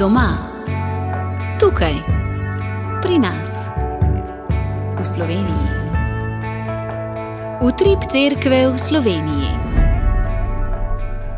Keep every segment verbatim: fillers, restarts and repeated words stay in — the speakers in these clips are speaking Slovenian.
Doma, tukaj, pri nas, v Sloveniji. Utrip cerkve v Sloveniji.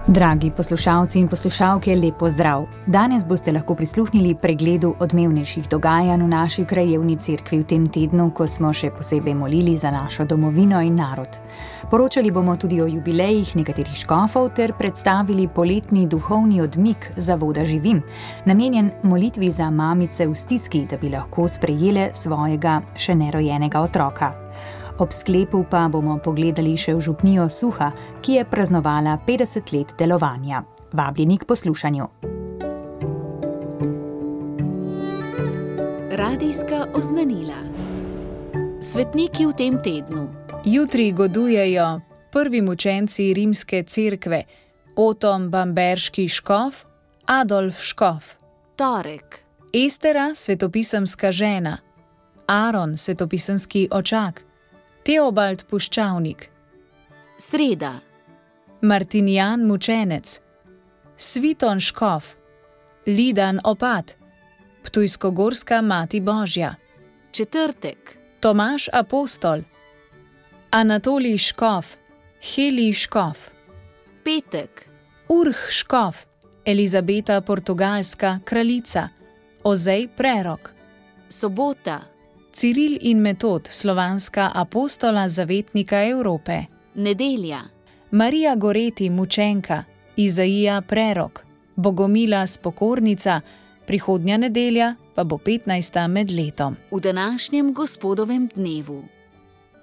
Dragi poslušalci in poslušalke, lep pozdrav. Danes boste lahko prisluhnili pregledu odmevnejših dogajanj v naši krajevni cerkvi v tem tednu, ko smo še posebej molili za našo domovino in narod. Poročali bomo tudi o jubilejih nekaterih škofov ter predstavili poletni duhovni odmik Zavoda Živim, namenjen molitvi za mamice v stiski, da bi lahko sprejele svojega še nerojenega otroka. Ob sklepu pa bomo pogledali še v župnijo Suha, ki je praznovala petdeset let delovanja. Vabljeni k poslušanju. Radijska oznanila. Svetniki v tem tednu. Jutri godujejo prvi mučenci rimske cerkve, Otom bamberški škof, Adolf škof. Torek. Estera, svetopisemska žena. Aron, svetopisemski očak. Teobald puščavnik. Sreda. Martinijan mučenec. Sviton škof. Lidan opat. Ptujskogorska mati Božja. Četrtek. Tomaž apostol. Anatolij škof. Heli škof. Petek. Urh škof. Elizabeta portugalska kraljica. Ozej prerok. Sobota. Ciril in Metod, slovanska apostola zavetnika Evrope. Nedelja. Marija Goreti, mučenka. Izaija prerok. Bogomila spokornica. Prihodnja nedelja pa bo petnajsta med letom. V današnjem gospodovem dnevu.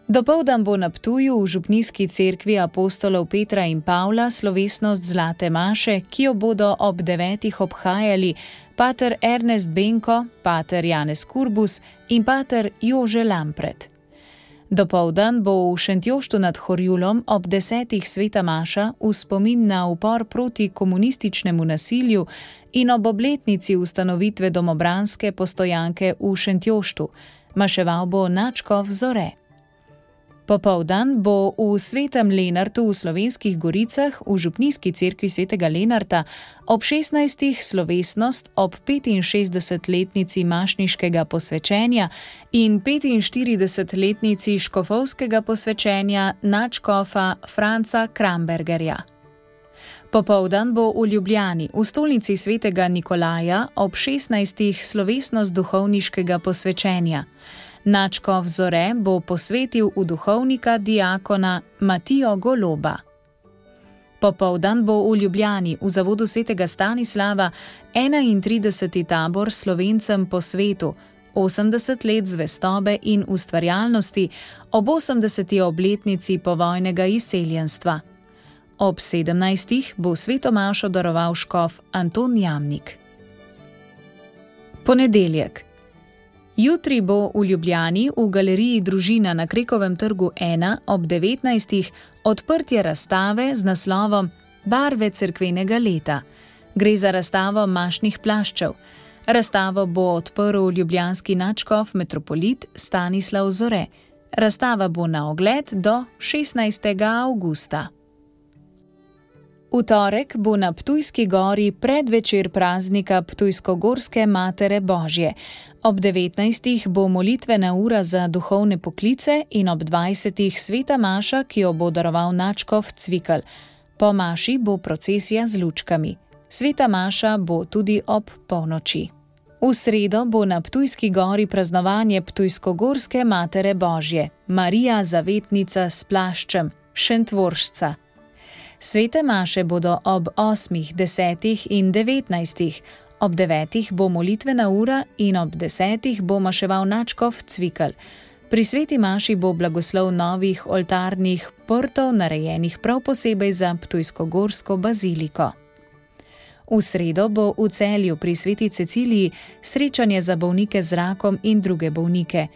Dopoldan bo na Ptuju v župnijski cerkvi apostolov Petra in Pavla slovesnost Zlate maše, ki jo bodo ob devetih obhajali pater Ernest Benko, pater Janez Kurbus in pater Jože Lampret. Dopoldan bo v Šentjoštu nad Horjulom ob desetih sveta maša v spomin na upor proti komunističnemu nasilju in ob obletnici ustanovitve domobranske postojanke v Šentjoštu. Maševal bo nadškof Zore. Popoldan bo v Svetem Lenartu v Slovenskih Goricah v župnijski cerkvi svetega Lenarta ob šestnajstih slovesnost ob petinšestdesetletnici mašniškega posvečenja in petinštiridesetletnici škofovskega posvečenja nadškofa Franca Krambergerja. Popoldan bo v Ljubljani v stolnici svetega Nikolaja ob šestnajstih slovesnost duhovniškega posvečenja. Nadškof Zore bo posvetil v duhovnika diakona Matijo Goloba. Popoldan bo v Ljubljani v zavodu svetega Stanislava enaintrideseti tabor Slovencem po svetu, osemdeset let zvestobe in ustvarjalnosti ob osemdeseti obletnici povojnega izseljenstva. Ob sedemnajstih bo sveto mašo daroval škof Anton Jamnik. Ponedeljek. Jutri bo v Ljubljani v galeriji Družina na Krekovem trgu ena ob devetnajstih odprtje razstave z naslovom Barve cerkvenega leta. Gre za razstavo mašnih plaščev. Razstavo bo odprl ljubljanski nadškof metropolit Stanislav Zore. Razstava bo na ogled do šestnajstega avgusta. V torek bo na Ptujski gori predvečer praznika Ptujskogorske matere Božje. Ob devetnajstih bo molitvena ura za duhovne poklice in ob dvajsetih sveta maša, ki jo bo daroval nadškof Cvikl. Po maši bo procesija z lučkami. Sveta maša bo tudi ob polnoči. V sredo bo na Ptujski gori praznovanje Ptujskogorske matere Božje, Marija zavetnica s plaščem, Šentvoršca. Svete maše bodo ob osmih, desetih in devetnajstih. Ob devetih bo molitvena ura in ob desetih bo maševal nadškof Cvikl. Pri sveti maši bo blagoslov novih oltarnih prtov, narejenih prav posebej za Ptujskogorsko baziliko. V sredo bo v Celju pri sveti Ceciliji srečanje za bolnike z rakom in druge bolnike.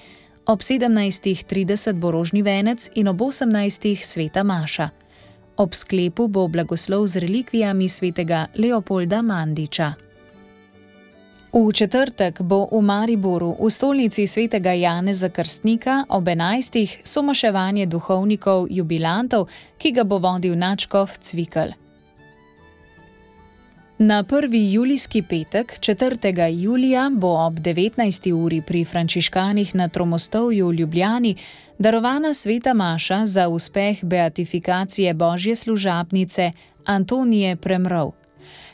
Ob sedemnajstih trideset bo rožni venec in ob osemnajstih sveta maša. Ob sklepu bo blagoslov z relikvijami svetega Leopolda Mandiča. V četrtek bo v Mariboru v stolnici svetega Janeza Krstnika ob enajstih somaševanje duhovnikov jubilantov, ki ga bo vodil nadškof Cvikl. Na prvi julijski petek, četrtega julija, bo ob devetnajsti uri pri frančiškanih na Tromostovju v Ljubljani darovana sveta maša za uspeh beatifikacije božje služabnice Antonije Premrov.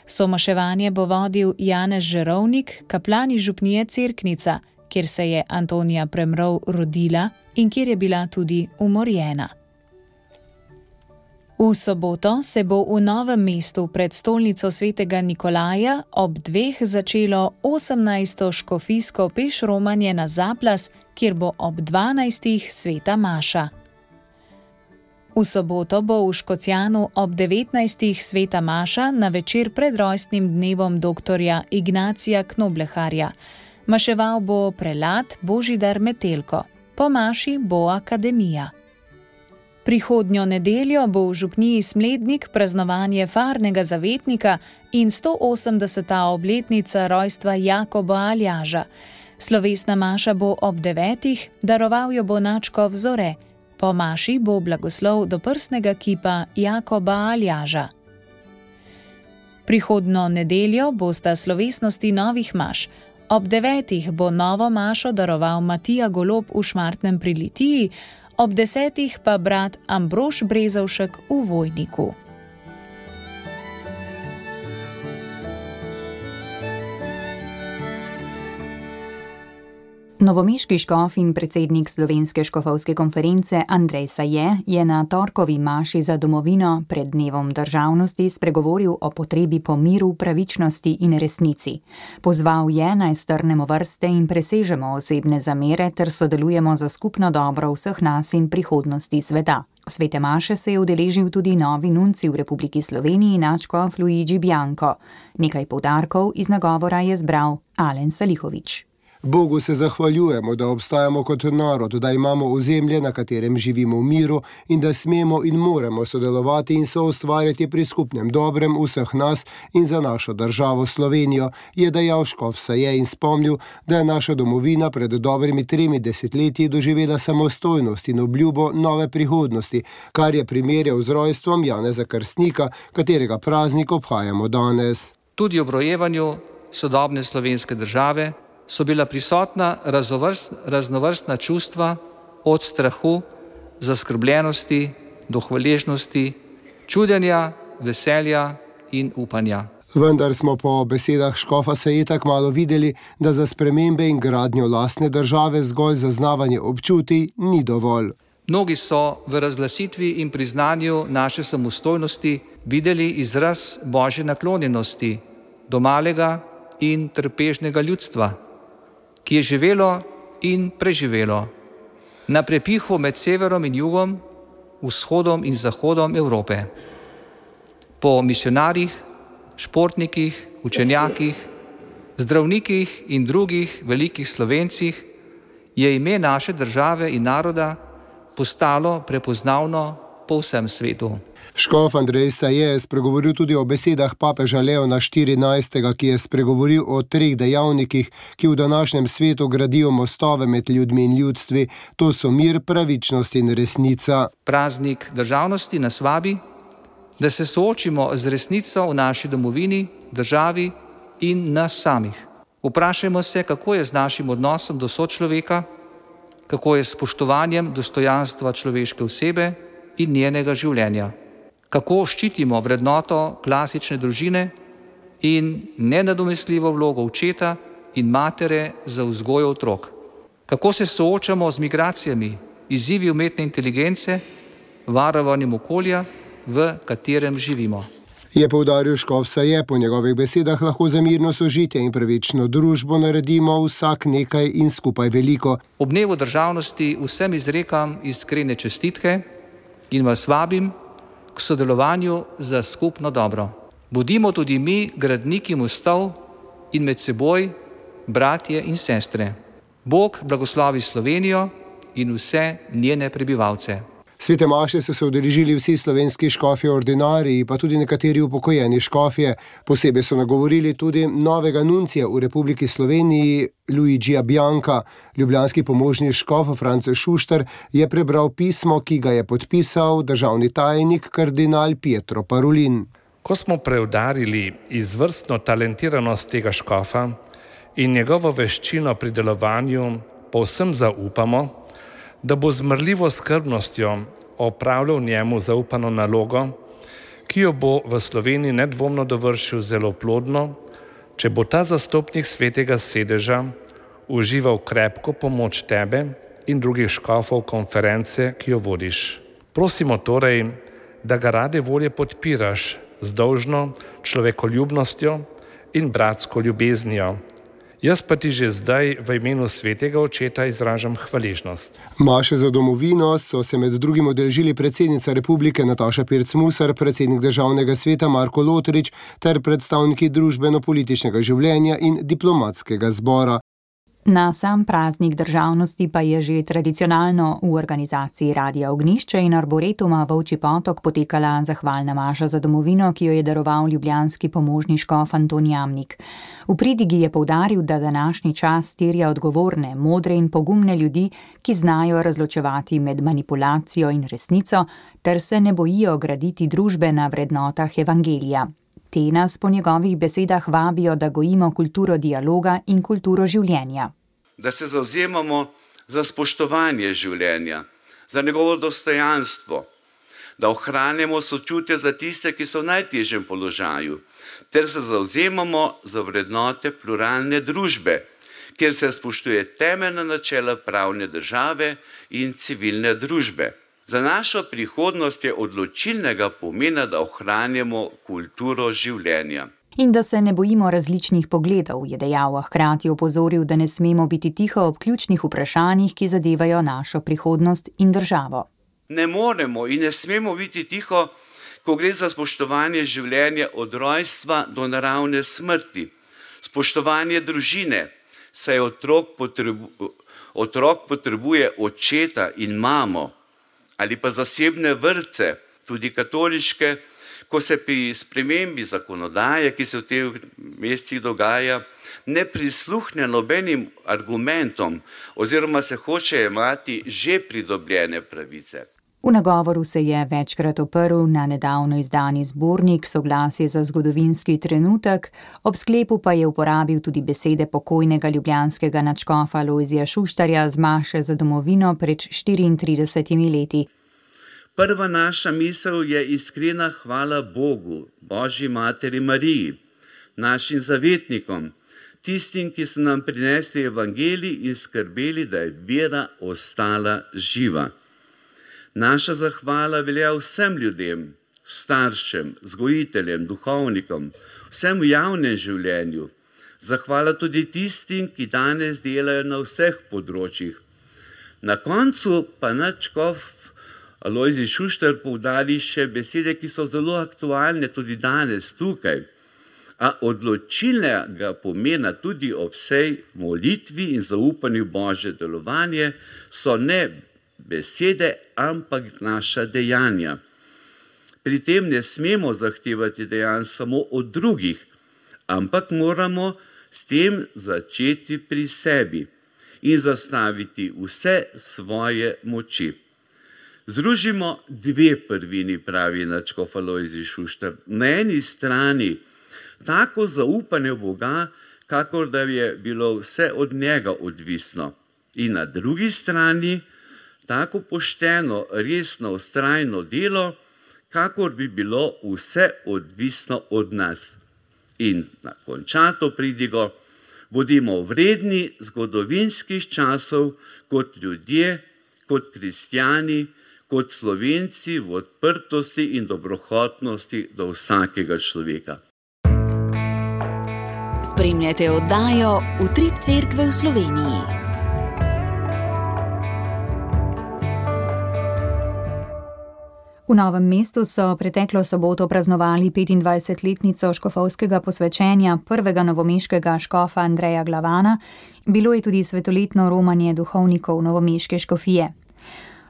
Somaševanje bo vodil Janez Žerovnik, kaplan iz župnije Cerknica, kjer se je Antonija Premrov rodila in kjer je bila tudi umorjena. V soboto se bo v Novem mestu pred stolnico svetega Nikolaja ob dveh začelo osemnajsto škofijsko pešromanje na Zaplas, kjer bo ob dvanajstih sveta maša. V soboto bo v Škocjanu ob devetnajstih sveta maša na večer pred rojstnim dnevom doktorja Ignacija Knobleharja. Maševal bo prelat Božidar Metelko. Po maši bo akademija. Prihodnjo nedeljo bo v župniji Smlednik praznovanje farnega zavetnika in sto osemdeseta obletnica rojstva Jakoba Aljaža. Slovesna maša bo ob devetih, daroval jo bo nadškof Zore. Po maši bo blagoslov do prstnega kipa Jakoba Aljaža. Prihodnjo nedeljo bosta slovesnosti novih maš. Ob devetih bo novo mašo daroval Matija Golob v Šmartnem pri Litiji, ob desetih pa brat Ambrož Brezovšek v Vojniku. Novomeški škof in predsednik Slovenske škofovske konference Andrej Saje je na torkovi maši za domovino pred dnevom državnosti spregovoril o potrebi po miru, pravičnosti in resnici. Pozval je, naj strnemo vrste in presežemo osebne zamere ter sodelujemo za skupno dobro vseh nas in prihodnosti sveta. Svete maše se je udeležil tudi novi nunci v Republiki Sloveniji, nadškof Luigi Bianco. Nekaj poudarkov iz nagovora je zbral Alen Salihović. Bogu se zahvaljujemo, da obstajamo kot narod, da imamo ozemlje, na katerem živimo v miru in da smemo in moramo sodelovati in soustvarjati pri skupnem dobrem vseh nas in za našo državo Slovenijo, je dejal škof Saje in spomnil, da je naša domovina pred dobrimi tremi desetletji doživela samostojnost in obljubo nove prihodnosti, kar je primerjal z rojstvom Janeza Krstnika, katerega praznik obhajamo danes. Tudi ob rojevanju sodobne slovenske države so bila prisotna raznovrst, raznovrstna čustva od strahu, zaskrbljenosti do hvaležnosti, čudenja, veselja in upanja. Vendar smo po besedah škofa Saje tako malo videli, da za spremembe in gradnjo lastne države zgolj zaznavanje občutij ni dovolj. Mnogi so v razglasitvi in priznanju naše samostojnosti videli izraz božje naklonjenosti do malega in trpežnega ljudstva, ki je živelo in preživelo na prepihu med severom in jugom, vzhodom in zahodom Evrope. Po misionarjih, športnikih, učenjakih, zdravnikih in drugih velikih Slovencih je ime naše države in naroda postalo prepoznavno po vsem svetu. Škof Andrej Saje je spregovoril tudi o besedah papeža Leona štirinajstega, ki je spregovoril o treh dejavnikih, ki v današnjem svetu gradijo mostove med ljudmi in ljudstvi. To so mir, pravičnost in resnica. Praznik državnosti nas vabi, da se soočimo z resnico v naši domovini, državi in nas samih. Vprašajmo se, kako je z našim odnosom do sočloveka, kako je s spoštovanjem dostojanstva človeške osebe in njenega življenja. Kako ščitimo vrednoto klasične družine in nenadomestljivo vlogo očeta in matere za vzgojo otrok. Kako se soočamo z migracijami, izzivi umetne inteligence, varovanjem okolja, v katerem živimo. Je poudaril škof Saje, po njegovih besedah lahko za mirno sožitje in pravično družbo naredimo vsak nekaj in skupaj veliko. Ob dnevu državnosti vsem izrekam iskrene čestitke in vas vabim k sodelovanju za skupno dobro. Bodimo tudi mi gradniki mostov in med seboj bratje in sestre. Bog blagoslovi Slovenijo in vse njene prebivalce. Svete maše so se udeležili vsi slovenski škofje ordinariji, pa tudi nekateri upokojeni škofje. Posebej so nagovorili tudi novega nuncija v Republiki Sloveniji, Luigija Bianca. Ljubljanski pomožni škof France Šuštar je prebral pismo, ki ga je podpisal državni tajnik kardinal Pietro Parolin. Ko smo preudarili izvrstno talentiranost tega škofa in njegovo veščino pri delovanju, povsem zaupamo, da bo z mrljivo skrbnostjo opravljal njemu zaupano nalogo, ki jo bo v Sloveniji nedvomno dovršil zelo plodno, če bo ta zastopnik svetega sedeža užival krepko pomoč tebe in drugih škofov konference, ki jo vodiš. Prosimo torej, da ga rade volje podpiraš z dolžno človekoljubnostjo in bratsko ljubeznijo. Jaz pa ti že zdaj v imenu svetega očeta izražam hvaležnost. Maše za domovino so se med drugim udeležili predsednica republike Nataša Pirc Musar, predsednik državnega sveta Marko Lotrič ter predstavniki družbeno-političnega življenja in diplomatskega zbora. Na sam praznik državnosti pa je že tradicionalno v organizaciji Radia Ognjišče in Arboretuma Volčji Potok potekala zahvalna maša za domovino, ki jo je daroval ljubljanski pomožni škof Anton Jamnik. V pridigi je poudaril, da današnji čas terja odgovorne, modre in pogumne ljudi, ki znajo razločevati med manipulacijo in resnico, ter se ne bojijo graditi družbe na vrednotah evangelija. Te nas po njegovih besedah vabijo, da gojimo kulturo dialoga in kulturo življenja. Da se zavzemamo za spoštovanje življenja, za njegovo dostojanstvo, da ohranjamo sočutje za tiste, ki so v najtežjem položaju, ter se zavzemamo za vrednote pluralne družbe, kjer se spoštuje temeljna načela pravne države in civilne družbe. Za našo prihodnost je odločilnega pomena, da ohranjamo kulturo življenja. In da se ne bojimo različnih pogledov, je dejal, a hkrati opozoril, da ne smemo biti tiho ob ključnih vprašanjih, ki zadevajo našo prihodnost in državo. Ne moremo in ne smemo biti tiho, ko gre za spoštovanje življenja od rojstva do naravne smrti, spoštovanje družine, saj otrok, potrebu, otrok potrebuje očeta in mamo, ali pa zasebne vrtce, tudi katoliške, ko se pri spremembi zakonodaje, ki se v teh mestih dogaja, ne prisluhne nobenim argumentom oziroma se hoče jemati že pridobljene pravice. V nagovoru se je večkrat oprl na nedavno izdani zbornik Soglasje za zgodovinski trenutek, ob sklepu pa je uporabil tudi besede pokojnega ljubljanskega nadškofa Lojzija Šuštarja z maše za domovino pred štiriintridesetimi leti. Prva naša misel je iskrena hvala Bogu, Božji materi Mariji, našim zavetnikom, tistim, ki so nam prinesli evangelij in skrbeli, da je vera ostala živa. Naša zahvala velja vsem ljudem, staršem, vzgojiteljem, duhovnikom, vsem v javnem življenju. Zahvala tudi tistim, ki danes delajo na vseh področjih. Na koncu pa nadškof Lojzij Šuštar poudari še besede, ki so zelo aktualne tudi danes tukaj, a odločilnega pomena tudi ob vsej molitvi in zaupanju Božje delovanje so ne besede, ampak naša dejanja. Pri tem ne smemo zahtevati dejanj samo od drugih, ampak moramo s tem začeti pri sebi in zastaviti vse svoje moči. Združimo dve prvini, pravi nadškof Lojzij Šuštar. Na eni strani tako zaupanje v Boga, kakor da je bilo vse od njega odvisno. In na drugi strani tako pošteno, resno, vztrajno delo, kakor bi bilo vse odvisno od nas. In na končato pridigo, bodimo vredni zgodovinskih časov kot ljudje, kot kristjani, kot Slovenci v odprtosti in dobrohotnosti do vsakega človeka. Spremljate oddajo Utrip Cerkve v Sloveniji. V Novem mestu so preteklo soboto praznovali petindvajsetletnico škofovskega posvečenja prvega novomeškega škofa Andreja Glavana. Bilo je tudi svetoletno romanje duhovnikov novomeške škofije.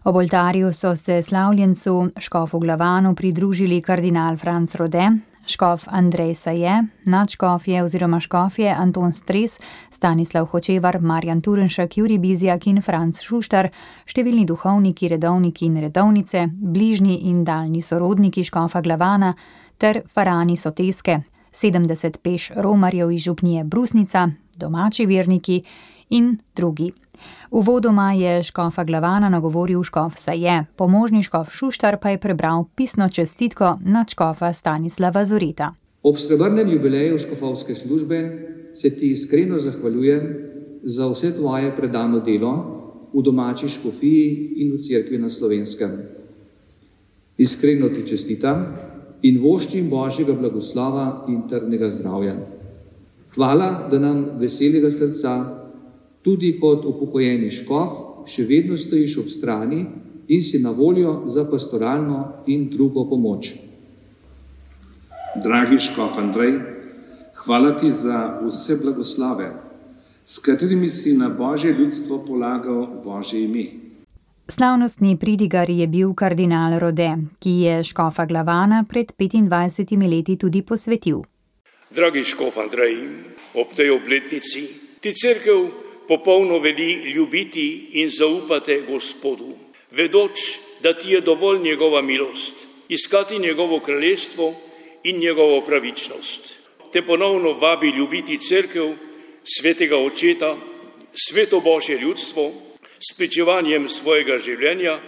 Ob oltarju so se slavljencu škofu Glavanu pridružili kardinal Franc Rode, škof Andrej Saje, nadškofje oziroma škofje Anton Stres, Stanislav Hočevar, Marjan Turenšek, Jurij Bizjak in Franc Šuštar, številni duhovniki, redovniki in redovnice, bližnji in daljni sorodniki škofa Glavana, ter farani Soteske, sedemdeset peš romarjev iz župnije Brusnica, domači verniki in drugi. Uvodoma je škofa Glavana nagovoril škof Saje, pomožni škof Šuštar pa je prebral pisno čestitko nadškofa Stanislava Zoreta. Ob srebrnem jubileju škofovske službe se ti iskreno zahvaljujem za vse tvoje predano delo v domači škofiji in v cerkvi na Slovenskem. Iskreno ti čestitam in voščim Božjega blagoslova in trdnega zdravja. Hvala, da nam veselega srca, tudi kot upokojeni škof, še vedno stojiš ob strani in si na voljo za pastoralno in drugo pomoč. Dragi škof Andrej, hvala ti za vse blagoslove, s katerimi si na Božje ljudstvo polagal Božje ime. Slavnostni pridigar je bil kardinal Rode, ki je škofa Glavana pred petindvajsetimi leti tudi posvetil. Dragi škof Andrej, ob tej obletnici ti cerkev popolno veli ljubiti in zaupate Gospodu, vedoč, da ti je dovolj njegova milost, iskati njegovo kraljestvo in njegovo pravičnost. Te ponovno vabi ljubiti cerkev, svetega očeta, sveto Božje ljudstvo, s pričevanjem svojega življenja,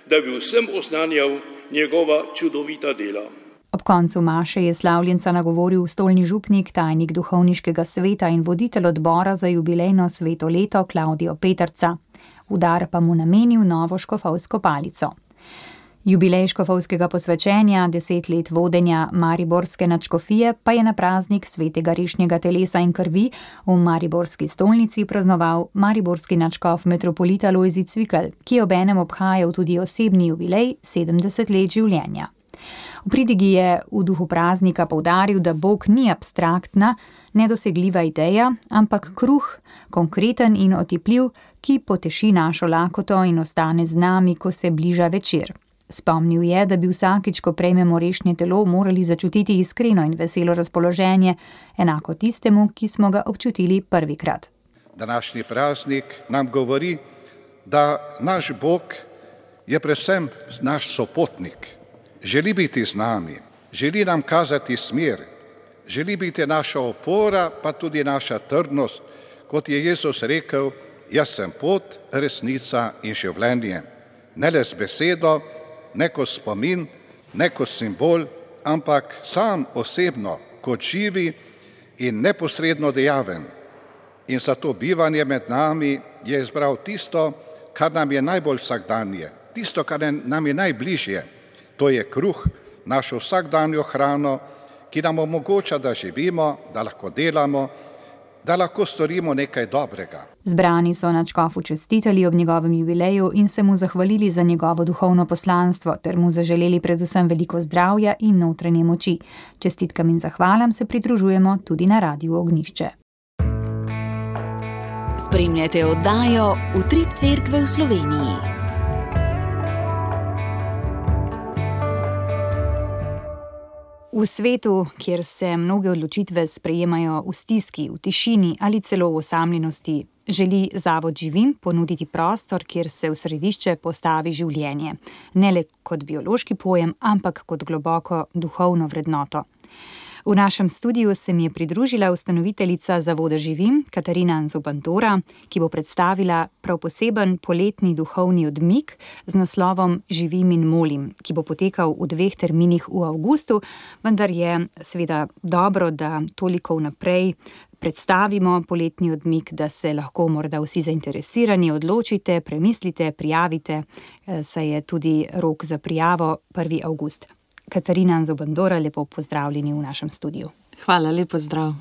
da bi vsem oznanjal njegova čudovita dela. Ob koncu maše je slavljenca nagovoril stolni župnik, tajnik duhovniškega sveta in voditelj odbora za jubilejno sveto leto Klavdijo Peterca. V dar pa mu namenil novo škofovsko palico. Jubilej škofovskega posvečenja, deset let vodenja mariborske nadškofije, pa je na praznik svetega rešnjega telesa in krvi v mariborski stolnici praznoval mariborski nadškof metropolita Lojzij Cvikl, ki je obenem obhajal tudi osebni jubilej sedemdeset let življenja. V pridigi je v duhu praznika poudaril, da Bog ni abstraktna, nedosegljiva ideja, ampak kruh, konkreten in otipljiv, ki poteši našo lakoto in ostane z nami, ko se bliža večer. Spomnil je, da bi vsakič, ko prejmemo rešnje telo, morali začutiti iskreno in veselo razpoloženje, enako tistemu, ki smo ga občutili prvikrat. Današnji praznik nam govori, da naš Bog je predvsem naš sopotnik. Želi biti z nami, želi nam kazati smer, želi biti naša opora, pa tudi naša trdnost, kot je Jezus rekel, jaz sem pot, resnica in življenje. Ne le z besedo, ne kot spomin, ne kot simbol, ampak sam osebno, kot živi in neposredno dejaven. In za to bivanje med nami je izbral tisto, kar nam je najbolj vsakdanje, tisto, kar nam je najbližje. To je kruh, našo vsakdanjo hrano, ki nam omogoča, da živimo, da lahko delamo, da lahko storimo nekaj dobrega. Zbrani so nadškofu čestitali ob njegovem jubileju in se mu zahvalili za njegovo duhovno poslanstvo ter mu zaželeli predvsem veliko zdravja in notranje moči. Čestitkam in zahvalam se pridružujemo tudi na Radiu Ognjišče. Spremljate oddajo Utrip cerkve v Sloveniji. V svetu, kjer se mnoge odločitve sprejemajo v stiski, v tišini ali celo v osamljenosti, želi Zavod Živim ponuditi prostor, kjer se v središče postavi življenje. Ne le kot biološki pojem, ampak kot globoko duhovno vrednoto. V našem studiu se mi je pridružila ustanoviteljica Zavoda Živim, Katarina Zobandora, ki bo predstavila prav poseben poletni duhovni odmik z naslovom Živim in molim, ki bo potekal v dveh terminih v avgustu, vendar je seveda dobro, da toliko vnaprej predstavimo poletni odmik, da se lahko morda vsi zainteresirani odločite, premislite, prijavite, saj je tudi rok za prijavo prvi avgust. Katarina Zobandora, lepo pozdravljeni v našem studiu. Hvala, lepo zdrav.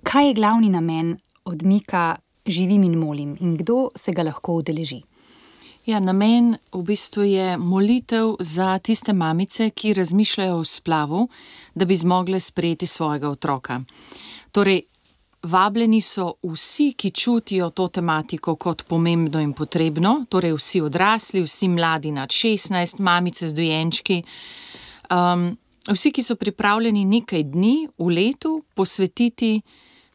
Kaj je glavni namen odmika Živim in molim in kdo se ga lahko udeleži? Ja, namen v bistvu je molitev za tiste mamice, ki razmišljajo o splavu, da bi zmogle sprejeti svojega otroka. Torej, vabljeni so vsi, ki čutijo to tematiko kot pomembno in potrebno, torej vsi odrasli, vsi mladi nad šestnajst, mamice z dojenčki, um, vsi, ki so pripravljeni nekaj dni v letu posvetiti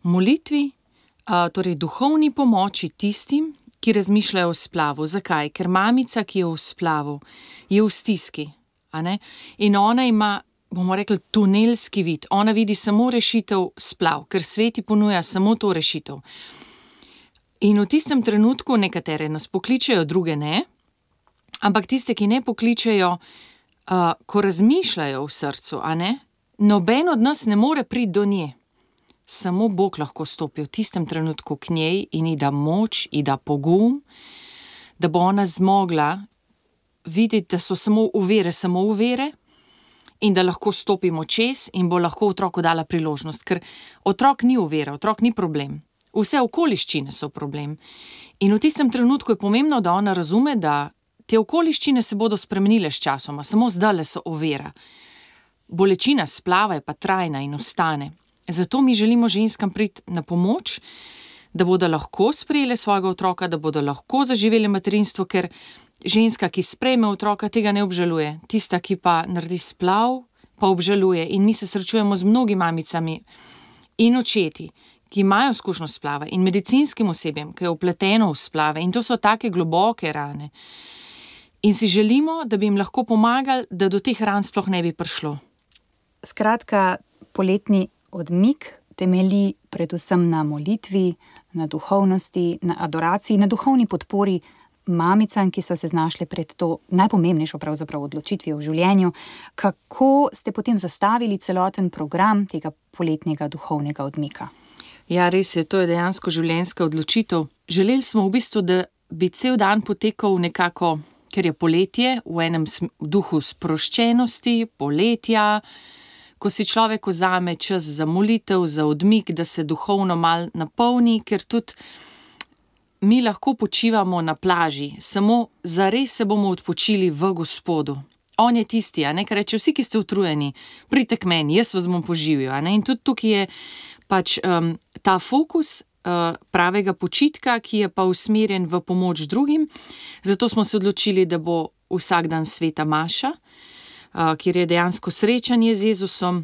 molitvi, uh, torej duhovni pomoči tistim, ki razmišljajo o splavu. Zakaj? Ker mamica, ki je v splavu, je v stiski, a ne? In ona ima bomo rekli, tunelski vid. Ona vidi samo rešitev splav, ker sveti ponuja samo to rešitev. In v tistem trenutku nekatere nas pokličejo, druge ne, ampak tiste, ki ne pokličejo, uh, ko razmišljajo v srcu, a ne, noben od nas ne more priti do nje. Samo Bog lahko stopi v tistem trenutku k njej in ji da moč, ji da pogum, da bo ona zmogla videti, da so samo uvere, samo uvere in da lahko stopimo čez in bo lahko otroku dala priložnost, ker otrok ni uvera, otrok ni problem. Vse okoliščine so problem. In v tistem trenutku je pomembno, da ona razume, da te okoliščine se bodo spremenile s časoma, samo zdajle so ovira. Bolečina splava je pa trajna in ostane. Zato mi želimo ženskam priti na pomoč, da bodo lahko sprejele svojega otroka, da bodo lahko zaživele materinstvo, ker ženska, ki sprejme otroka, tega ne obžaluje. Tista, ki pa naredi splav, pa obžaluje. In mi se srečujemo z mnogimi mamicami in očeti, ki imajo izkušnjo splava, in medicinskim osebjem, ki je vpleteno v splave, in to so take globoke rane. In si želimo, da bi jim lahko pomagali, da do teh ran sploh ne bi prišlo. Skratka, poletni odmik temelji predvsem na molitvi, na duhovnosti, na adoraciji, na duhovni podpori mamicam, ki so se znašle pred to najpomembnejšo pravzaprav odločitvijo v življenju. Kako ste potem zastavili celoten program tega poletnega duhovnega odmika? Ja, res je, to je dejansko življenjska odločitev. Želeli smo v bistvu, da bi cel dan potekal nekako, ker je poletje, v enem duhu sproščenosti, poletja, ko si človek vzame čas za molitev, za odmik, da se duhovno mal napolni, ker tudi mi lahko počivamo na plaži, samo zares se bomo odpočili v Gospodu. On je tisti, a ne, ker reče, vsi, ki ste utrujeni, pridite k meni, jaz vas bom poživil, a ne, in tudi tukaj je pač um, ta fokus uh, pravega počitka, ki je pa usmerjen v pomoč drugim. Zato smo se odločili, da bo vsak dan sveta maša, uh, kjer je dejansko srečanje z Jezusom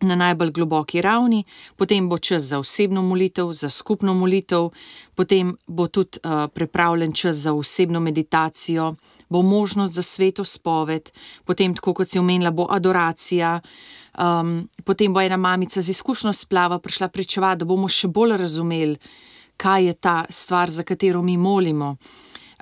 na najbolj globoki ravni, potem bo čas za osebno molitev, za skupno molitev, potem bo tudi uh, pripravljen čas za osebno meditacijo, bo možnost za sveto spoved, potem, tako kot si omenila, bo adoracija, um, potem bo ena mamica z izkušnjo splava prišla pričevati, da bomo še bolj razumeli, kaj je ta stvar, za katero mi molimo.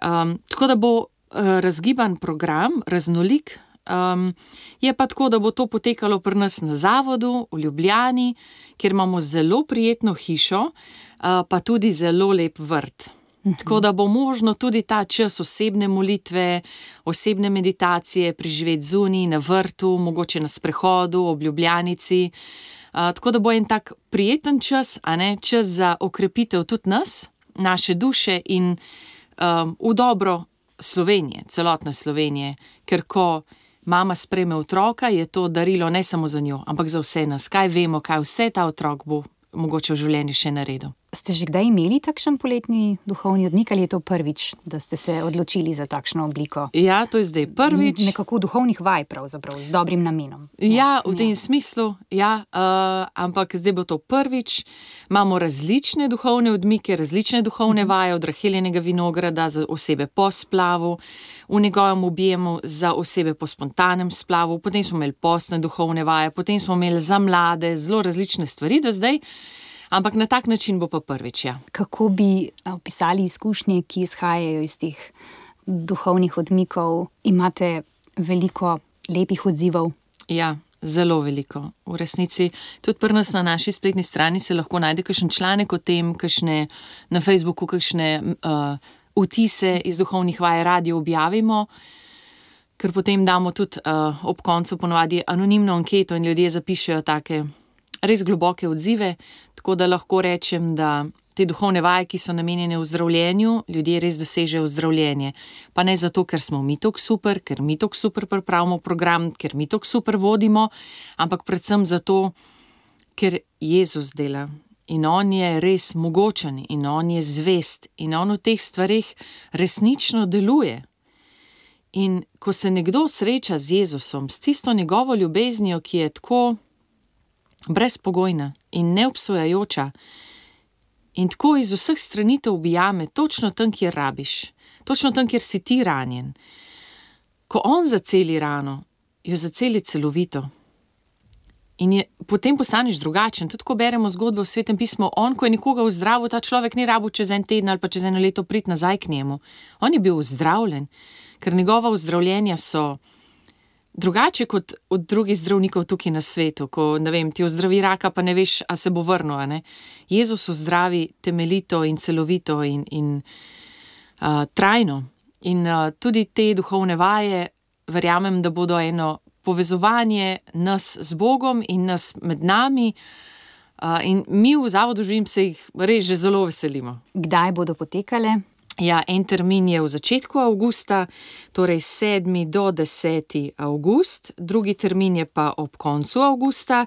Um, tako da bo uh, razgiban program, raznolik, um, je pa tako, da bo to potekalo pri nas na zavodu v Ljubljani, kjer imamo zelo prijetno hišo, uh, pa tudi zelo lep vrt. Tako da bo možno tudi ta čas osebne molitve, osebne meditacije preživeti zunaj, na vrtu, mogoče na sprehodu, ob Ljubljanici. Uh, tako da bo en tak prijeten čas, a ne, čas za okrepitev tudi nas, naše duše in um, v dobro Slovenije, celotne Slovenije, ker ko mama sprejme otroka, je to darilo ne samo za njo, ampak za vse nas. Kaj vemo, kaj vse ta otrok bo mogoče v življenju še naredil. Ste že kdaj imeli takšen poletni duhovni odmik ali je to prvič, da ste se odločili za takšno obliko? Ja, to je zdaj prvič. Nekako duhovnih vaj pravzaprav, z dobrim namenom. Ja, v tem ja. smislu, ja, uh, ampak zdaj bo to prvič. Imamo različne duhovne odmike, različne duhovne vaje, od Raheljenega vinograda za osebe po splavu, v njegovem objemu za osebe po spontanem splavu, potem smo imeli postne duhovne vaje, potem smo imeli za mlade, zelo različne stvari do zdaj. Ampak na tak način bo pa prvič, ja. Kako bi opisali izkušnje, ki izhajajo iz teh duhovnih odmikov? Imate veliko lepih odzivov? Ja, zelo veliko. V resnici, tudi pri nas na naši spletni strani se lahko najde kakšen članek o tem, kakšne na Facebooku, kakšne uh, vtise iz duhovnih vaj radi objavimo, ker potem damo tudi uh, ob koncu ponovadi anonimno anketo in ljudje zapišejo take res globoke odzive, tako da lahko rečem, da te duhovne vaje, ki so namenjene v zdravljenju, ljudje res dosežejo zdravljenje. Pa ne zato, ker smo mi tako super, ker mi tako super pripravimo program, ker mi tako super vodimo, ampak predvsem zato, ker Jezus dela. In on je res mogočen in on je zvest in on v teh stvareh resnično deluje. In ko se nekdo sreča z Jezusom, s tisto njegovo ljubeznijo, ki je tako brezpogojna in neobsojajoča in tako iz vseh strani te objame, točno tam, kjer rabiš, točno tam, kjer si ti ranjen. Ko on zaceli rano, jo zaceli celovito In je, potem postaneš drugačen. Tudi ko beremo zgodbe v Svetem pismu, on, ko je nekoga zdravil, ta človek ni rabil čez en teden ali pa čez eno leto priti nazaj k njemu. On je bil zdravljen, ker njegova ozdravljenja so drugače kot od drugih zdravnikov tukaj na svetu, ko, ne vem, ti ozdravi raka, pa ne veš, a se bo vrnil, a ne. Jezus ozdravi temeljito in celovito in, in uh, trajno. In uh, tudi te duhovne vaje, verjamem, da bodo eno povezovanje nas z Bogom in nas med nami. Uh, in mi v Zavodu Živim se jih res že zelo veselimo. Kdaj bodo potekale? Ja, en termin je v začetku avgusta, torej sedmi do deseti avgust, drugi termin je pa ob koncu avgusta,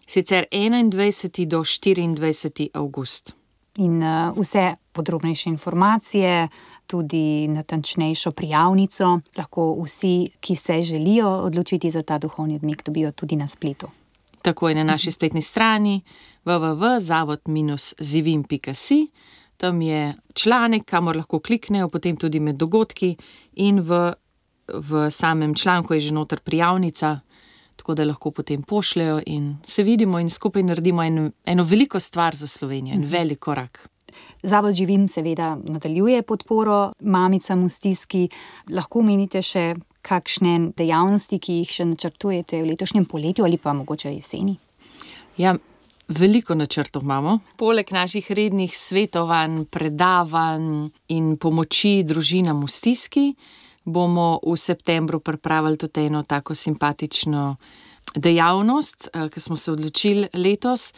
sicer enaindvajseti do štiriindvajseti avgust. In uh, vse podrobnejše informacije, tudi natančnejšo prijavnico, lahko vsi, ki se želijo odločiti za ta duhovni odmik, dobijo tudi na spletu. Tako je na naši spletni strani w w w pika zavod dash zivim pika si. Tam je članek, kamor lahko kliknejo, potem tudi med dogodki in v, v samem članku je že noter prijavnica, tako da lahko potem pošljajo in se vidimo in skupaj naredimo en, eno veliko stvar za Slovenijo, en velik korak. Zavod Živim seveda nadaljuje podporo mamicam v stiski. Lahko omenite še kakšne dejavnosti, ki jih še načrtujete v letošnjem poletju ali pa mogoče jeseni? Ja, veliko načrtov imamo. Poleg naših rednih svetovanj, predavanj in pomoči družinam v stiski, bomo v septembru pripravili tudi eno tako simpatično dejavnost, ki smo se odločili letos.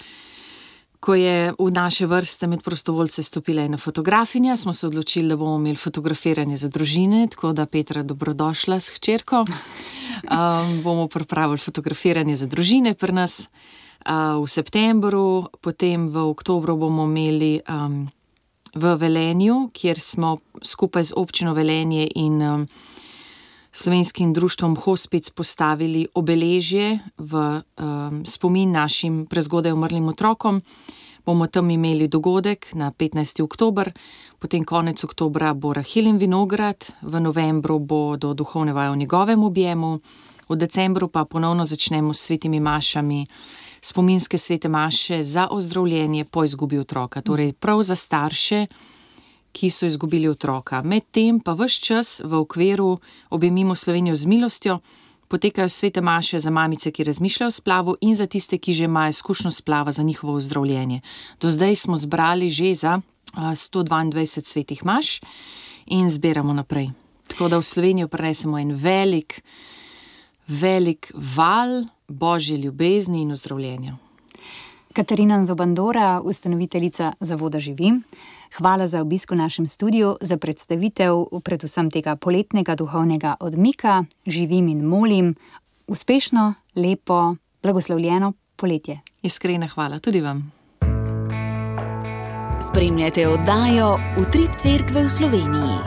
Ko je v naše vrste med prostovoljce stopila ena fotografinja, smo se odločili, da bomo imeli fotografiranje za družine, tako da Petra, dobrodošla s hčerko. Um, bomo pripravili fotografiranje za družine pri nas uh, v septembru, potem v oktobru bomo imeli um, v Velenju, kjer smo skupaj z občino Velenje in um, Slovenskim društvom Hospic postavili obeležje v um, spomin našim prezgodaj umrlim otrokom. Bomo tam imeli dogodek na petnajsti oktober, potem konec oktobra bo Rahilin vinograd, v novembru bodo duhovne vaje v njegovem objemu, v decembru pa ponovno začnemo s svetimi mašami, spominske svete maše za ozdravljenje po izgubi otroka, torej prav za starše, ki so izgubili otroka. Medtem pa ves čas v okviru Objemimo Slovenijo z milostjo potekajo svete maše za mamice, ki razmišljajo o splavu in za tiste, ki že imajo izkušnjo splava za njihovo ozdravljenje. Do zdaj smo zbrali že za sto dvaindvajset svetih maš in zbiramo naprej. Tako da v Slovenijo prinesemo en velik, velik val Božje ljubezni in ozdravljenja. Katarina Zobandora, ustanoviteljica Zavoda Živim, hvala za obisk v našem studiu, za predstavitev predvsem tega poletnega duhovnega odmika Živim in molim. Uspešno, lepo, blagoslovljeno poletje. Iskrena hvala tudi vam. Spremljate oddajo Utrip Cerkve v Sloveniji.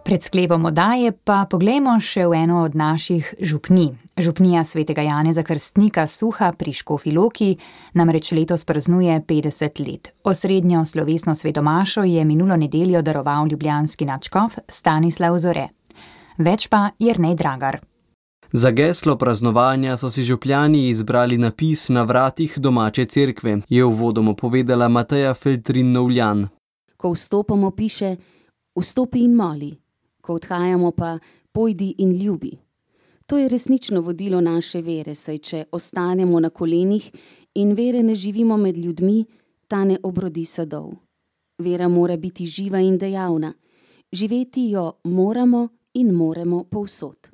Pred sklepom oddaje pa poglejmo še v eno od naših župnij. Župnija svetega Janeza Krstnika Suha pri Škofji Loki namreč letos praznuje petdeset let. Osrednjo slovesno svetomašo je minulo nedeljo daroval ljubljanski nadškof Stanislav Zore. Več pa Jernej Dragar. Za geslo praznovanja so si župljani izbrali napis na vratih domače cerkve, je uvodoma povedala Mateja Feltrin-Novljan. Ko vstopamo, piše: vstopi in moli. Ko odhajamo pa, pojdi in ljubi. To je resnično vodilo naše vere, saj če ostanemo na kolenih in vere ne živimo med ljudmi, ta ne obrodi sadov. Vera mora biti živa in dejavna. Živeti jo moramo in moremo povsod.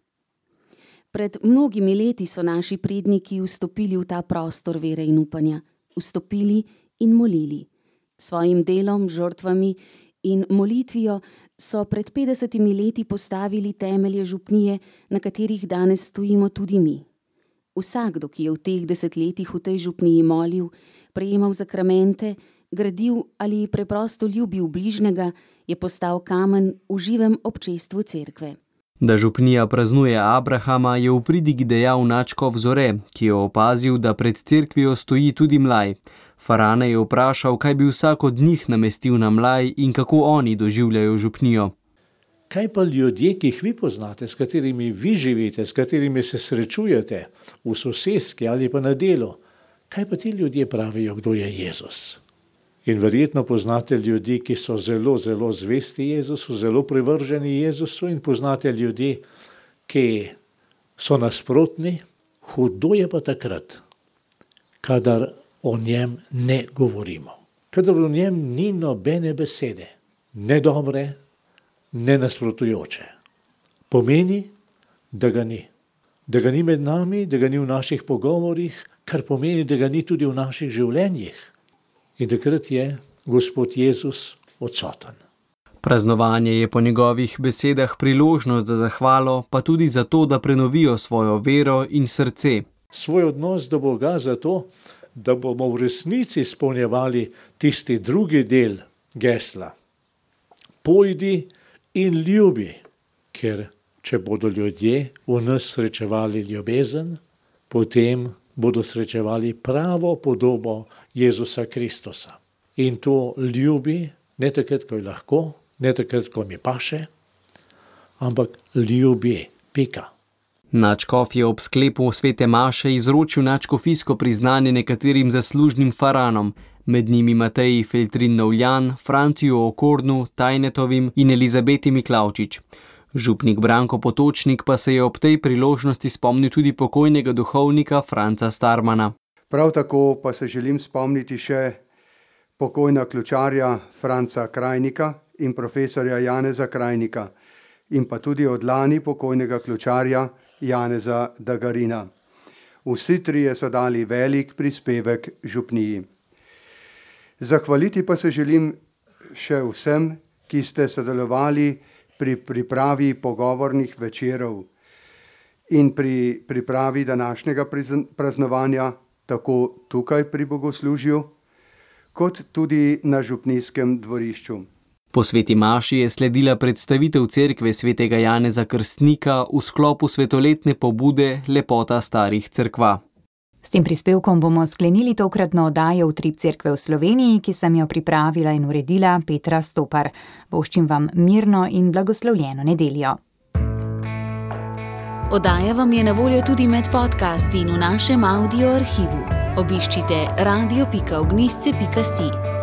Pred mnogimi leti so naši predniki vstopili v ta prostor vere in upanja. Vstopili in molili. Svojim delom, žrtvami in molitvijo so pred petdesetimi leti postavili temelje župnije, na katerih danes stojimo tudi mi. Vsakdo, ki je v teh desetletjih v tej župniji molil, prejemal zakramente, gradil ali preprosto ljubil bližnjega, je postal kamen v živem občestvu cerkve. Da župnija praznuje Abrahama, je v pridigi dejal nadškof Zore, ki je opazil, da pred cerkvijo stoji tudi mlaj. Farane je vprašal, kaj bi vsak od njih namestil na mlaj in kako oni doživljajo župnijo. Kaj pa ljudje, ki jih vi poznate, s katerimi vi živite, s katerimi se srečujete v soseski ali pa na delu, kaj pa ti ljudje pravijo, kdo je Jezus? In verjetno poznate ljudi, ki so zelo, zelo zvesti Jezusu, zelo privrženi Jezusu in poznate ljudi, ki so nasprotni, hudo je pa takrat, kadar o njem ne govorimo. Kadar o njem ni nobene besede, ne dobre, ne nasprotujoče. Pomeni, da ga ni. Da ga ni med nami, da ga ni v naših pogovorih, kar pomeni, da ga ni tudi v naših življenjih. In takrat je Gospod Jezus odsoten. Praznovanje je po njegovih besedah priložnost za zahvalo, pa tudi za to, da prenovijo svojo vero in srce. Svoj odnos do Boga zato, da bomo v resnici izpolnjevali tisti drugi del gesla. Pojdi in ljubi, ker če bodo ljudje v nas srečevali ljubezen, potem bodo srečevali pravo podobo Jezusa Kristusa. In to ljubi ne takrat, ko je lahko, ne takrat, ko mi paše, ampak ljubi, pika. Nadškof je ob sklepu svete maše izročil nadškofijsko priznanje nekaterim zaslužnim faranom, med njimi Mateji Feltrin Novljan, Franciju Okornu, Tajnetovim in Elizabeti Miklavčič. Župnik Branko Potočnik pa se je ob tej priložnosti spomnil tudi pokojnega duhovnika Franca Starmana. Prav tako pa se želim spomniti še pokojna ključarja Franca Krajnika in profesorja Janeza Krajnika in pa tudi od lani pokojnega ključarja Janeza Dagarina. Vsi trije so dali velik prispevek župniji. Zahvaliti pa se želim še vsem, ki ste sodelovali pri pripravi pogovornih večerov in pri pripravi današnjega praznovanja, tako tukaj pri bogoslužju, kot tudi na župnijskem dvorišču. Po sveti maši je sledila predstavitev cerkve svetega Janeza Krstnika v sklopu svetoletne pobude Lepota starih cerkva. S tem prispevkom bomo sklenili tokratno oddajo Utrip cerkve v Sloveniji, ki sem jo pripravila in uredila Petra Stopar. Voščim vam mirno in blagoslovljeno nedeljo. Oddaja vam je na voljo tudi med podcasti in v našem audio arhivu. Obiščite radio pika ognjišče pika si.